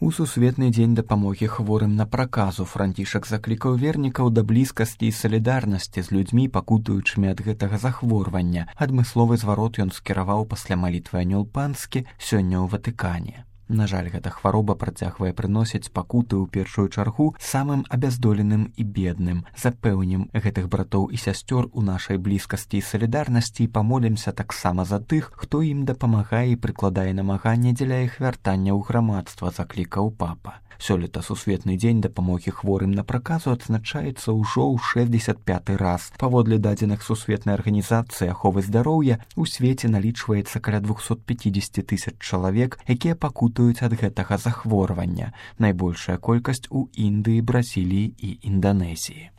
У сусветны дзень дапамогі хворым на праказу Францішак заклікаў вернікаў да блізкасці і салідарнасці з людзьмі, пакутуючымі ад гэтага захворвання. Адмысловы зварот ён скіраваў пасля малітвы анёл панскі сёння ў Ватыкане. На жаль, гэта хвароба працягвае прыносіць пакуты ў першую чаргу самым абяздоленым і бедным. Запэўнім гэтых братоў і сясцёр у нашай блізкасці і салідарнасці і памолімся таксама за тых, хто ім дапамагае і прыкладае намаганне дзеля іх вяртання ў грамадства, заклікаў папа. Сёлета сусветны дзень дапамогі хворым на праказу адзначаецца ўжо ў 65-й раз. Паводле дадзеных сусветнай арганізацыі аховы здароўя у свеце налічваецца каля 250 000 чалавек, якія пакутуюць ад гэтага захворвання. Найбольшая колькасць у Індыі, Бразіліі і Інданезіі.